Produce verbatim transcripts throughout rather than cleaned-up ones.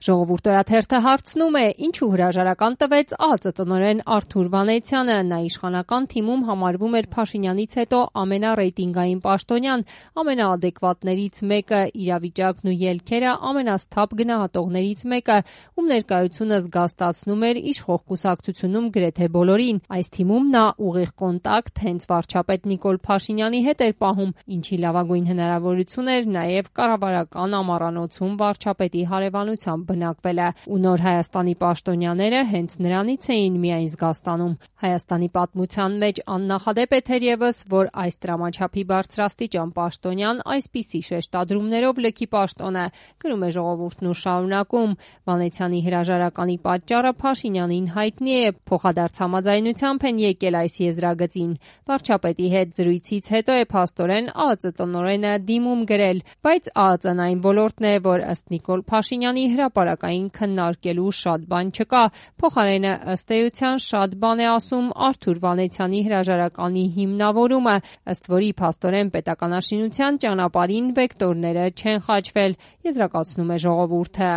Ժողովուրդ օրաթերթը հարցնում է, ինչու հրաժարական տվեց ԱԱԾ տնօրեն Արթուր Վանեցյանը։ Նա իշխանական թիմում համարվում էր Փաշինյանից հետո ամենառեյտինգային պաշտոնյան, ամենաադեկվատներից մեկը, իրավիճակն ու ելքերը ամենասթափ գնահատողներից մեկը, ում ներկայությունը զգաստացնում էր իշխող կուսակցությունում գրեթե բոլորին։ Այս թիմում նա ուղիղ կոնտակտ հենց վարչապետ Նիկոլ Փաշինյանի հետ էր պահում, ինչի լավագույն հնարավորություն էր նաև կառավարական ամառանոցում վարչապետի հարևանությամբ բնակվելը, ու նոր Հայաստանի պաշտոնյաները հենց նրանից էին միայն զգաստանում։ Հայաստանի պատմության մեջ աննախադեպ է թերևս, որ այս տրամաչափի բարձրաստիճան պաշտոնյան այսպիսի շեշտադրումներով լքի պաշտոնը, գրում է Ժողովուրդն ու շարունակում. Վանեցյանի հրաժարականի պատճառը Փաշինյանին հայտնի է, փոխադարձ համաձայնությամբ են եկել այս եզրագծին։ Վարչապետի հետ զրույցից հետո է փաստորեն ԱԱԾ տնօրենը դիմում գրել, բայց ԱԱԾ-ն այն ոլորտն է, որ ըստ Նիկոլ Փաշինյանի հրապարակային քննարկելու շատ բան չկա։ Փոխարենը ըստ էության շատ բան է ասում Արթուր Վանեցյանի հրաժարականի հիմնավորումը, ըստ որի փաստորեն պետականաշինության ճանապարհին վեկտորները չեն խաչվել, եզրակացնում է Ժողովուրդը։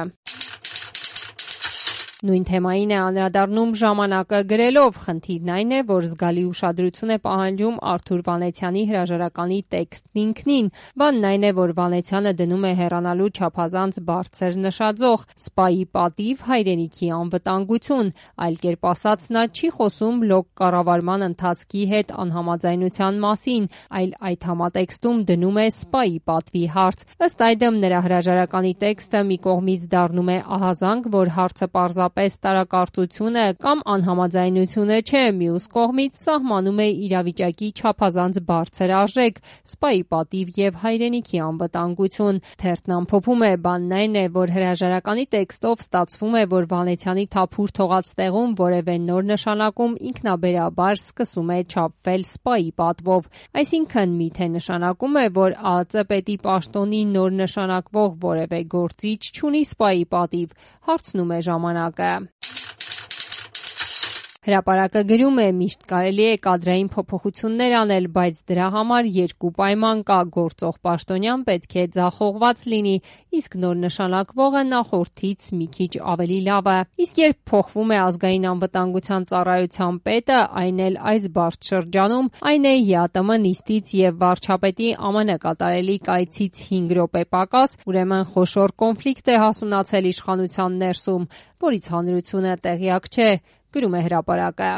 Նույն թեմային է անդրադառնում «Ժամանակը» գրելով. խնդիրն այն է, որ զգալի ուշադրություն է պահանջում Արթուր Վանեցյանի հրաժարականի տեքստն ինքնին։ Բանն այն է, որ Վանեցյանը դնում է հեռանալու չափազանց բարձր նշաձող՝ սպայի պատիվ, հայրենիքի անվտանգություն։ Այլ կերպ ասած, նա չի խոսում լոկ կառավարման ընթացքի հետ անհամաձայնության մասին, այլ այդ համատեքստում դնում է սպայի պատվի հարց։ Ըստ այդմ, նրա հրաժարականի տեքստը մի կողմից դառնում է ահազանգ, որ հարցը պարզապես տարակարծություն է կամ անհամաձայնությունը չէ, մյուս կողմից սահմանում է իրավիճակի չափազանց բարձր արժեք՝ սպայի պատիվ և հայրենիքի անվտանգություն։ Թերթն ամփոփում է. բանն այն է, որ հրաժարականի տեքստով ստացվում է, որ Վանեցյանի թափուր թողած տեղում որևէ նոր նշանակում ինքնաբերաբար սկսում է չափվել սպայի պատվով։ Այսինքն, միթե նշանակում է, որ ԱԱԾ պետի պաշտոնի նոր նշանակվող որևէ գործիչ չունի սպայի պատիվ, հարցնում է «Ժամանակը»։ Հրապարակը գրում է. միշտ կարելի է կադրային փոփոխություններ անել, բայց դրա համար երկու պայման կա՝ գործող պաշտոնյան պետք է ձախողված լինի, իսկ նոր նշանակվողը նախորդից մի քիչ ավելի լավը։ Իսկ երբ փոխվում է ազգային անվտանգության ծառայության պետը, այն էլ այս բարդ շրջանում, այն է ԵԱՏՄ նիստից և վարչապետի ԱՄՆ կատարելի կայցից հինգ րոպե պակաս, ուրեմն խոշոր կոնֆլիկտ է հասունացել իշխանության ներսում, որից հանրությունը տեղյակ չէ, գրում է Հրապարակը։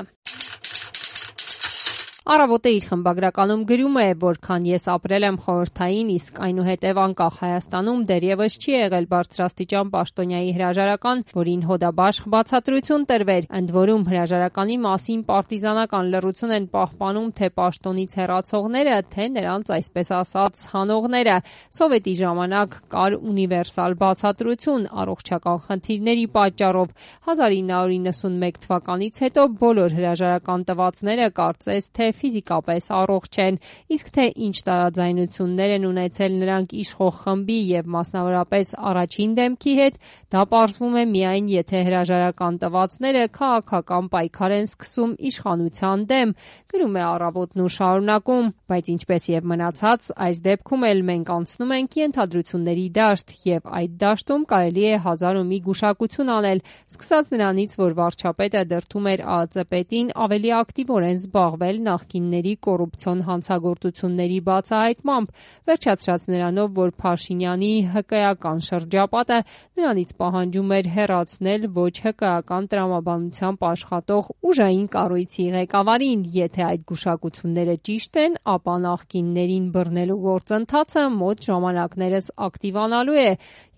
Առավոտը իր խմբագրականում գրում է. որքան ես ապրել եմ խորհրդային, իսկ այնուհետև անկախ Հայաստանում դեռևս չի եղել բարձրաստիճան պաշտոնյայի հրաժարական, որին հոդաբաշխ բացատրություն տրվեր, ընդ որում հրաժարականի մասին պարտիզանական լռություն են պահպանում թե պաշտոնից հեռացողները, թե նրանց այսպես ասած հանողները։ Սովետի ժամանակ կար ունիվերսալ բացատրություն առողջական խնդիրների պատճառով։ հազար ինը հարյուր իննսունմեկ թվականից հետո բոլոր հրաժարական տվածները կարծես թե ֆիզիկապես առողջ են, իսկ թե ինչ տարաձայնություններ են ունեցել նրանք իշխող խմբի և մասնավորապես առաջին դեմքի հետ, դա պարզվում է միայն, եթե հրաժարական տվածները քաղաքական պայքար են սկսում իշխանության դեմ, գրում է Առավոտն ու շարունակում, բայց ինչպես և մնացած, այս դեպքում էլ մենք անցնում ենք ենթադրությունների դաշտ, և այդ դաշտում կարելի է հազար ու մի գուշակություն անել, սկսած նրանից, որ վարչապետը դրդում էր ԱԱԾ պետին ավելի ակտիվորեն զբաղվել նախկինների կոռուպցիոն հանցագործությունների բացահայտմամբ, վերջացրած նրանով, որ Փաշինյանի հկեական շրջապատը նրանից պահանջում էր հեռացնել ոչ հկեական տրամաբանությամբ աշխատող ուժային կառույցի ղեկավարին։ Եթե այդ գուշակությունները ճիշտ են, ապա նախկիններին բռնելու գործընթացը մոտ ժամանակներս ակտիվանալու է,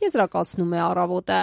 եզրակացնում է Առավոտը։